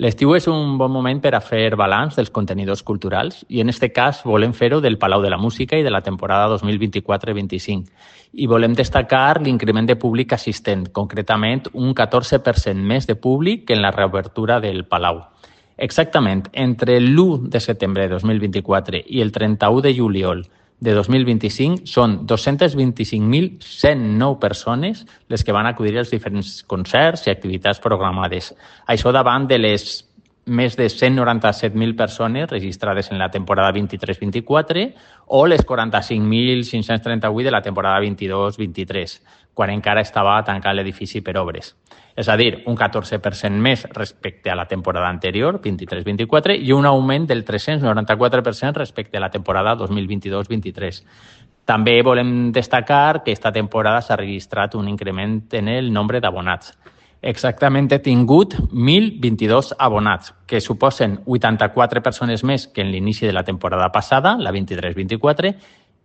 L'estiu és un bon moment per a fer balanç dels contenidors culturals i en aquest cas volem fer-ho del Palau de la Música i de la temporada 2024-25. I volem destacar l'increment de públic assistent, concretament un 14% més de públic que en la reobertura del Palau. Exactament, entre l'1 de setembre de 2024 i el 31 de juliol de 2025 són 225.109 persones les que van acudir als diferents concerts i activitats programades. Això davant de les més de 197.000 persones registrades en la temporada 23-24 o les 45.538 de la temporada 22-23, quan encara estava tancat l'edifici per obres. És a dir, un 14% més respecte a la temporada anterior, 23-24, i un augment del 394% respecte a la temporada 2022-23. També volem destacar que aquesta temporada s'ha registrat un increment en el nombre d'abonats. Exactament he tingut 1.022 abonats, que suposen 84 persones més que en l'inici de la temporada passada, la 23-24,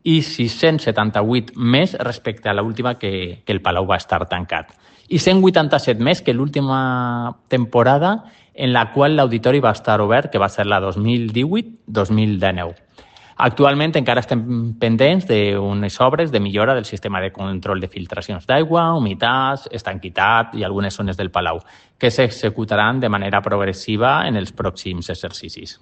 i 678 més respecte a l'última que el Palau va estar tancat. I 187 més que l'última temporada en la qual l'auditori va estar obert, que va ser la 2018-2019. Actualment encara estem pendents d'unes obres de millora del sistema de control de filtracions d'aigua, humitats, estanquitat i algunes zones del Palau, que s'executaran de manera progressiva en els pròxims exercicis.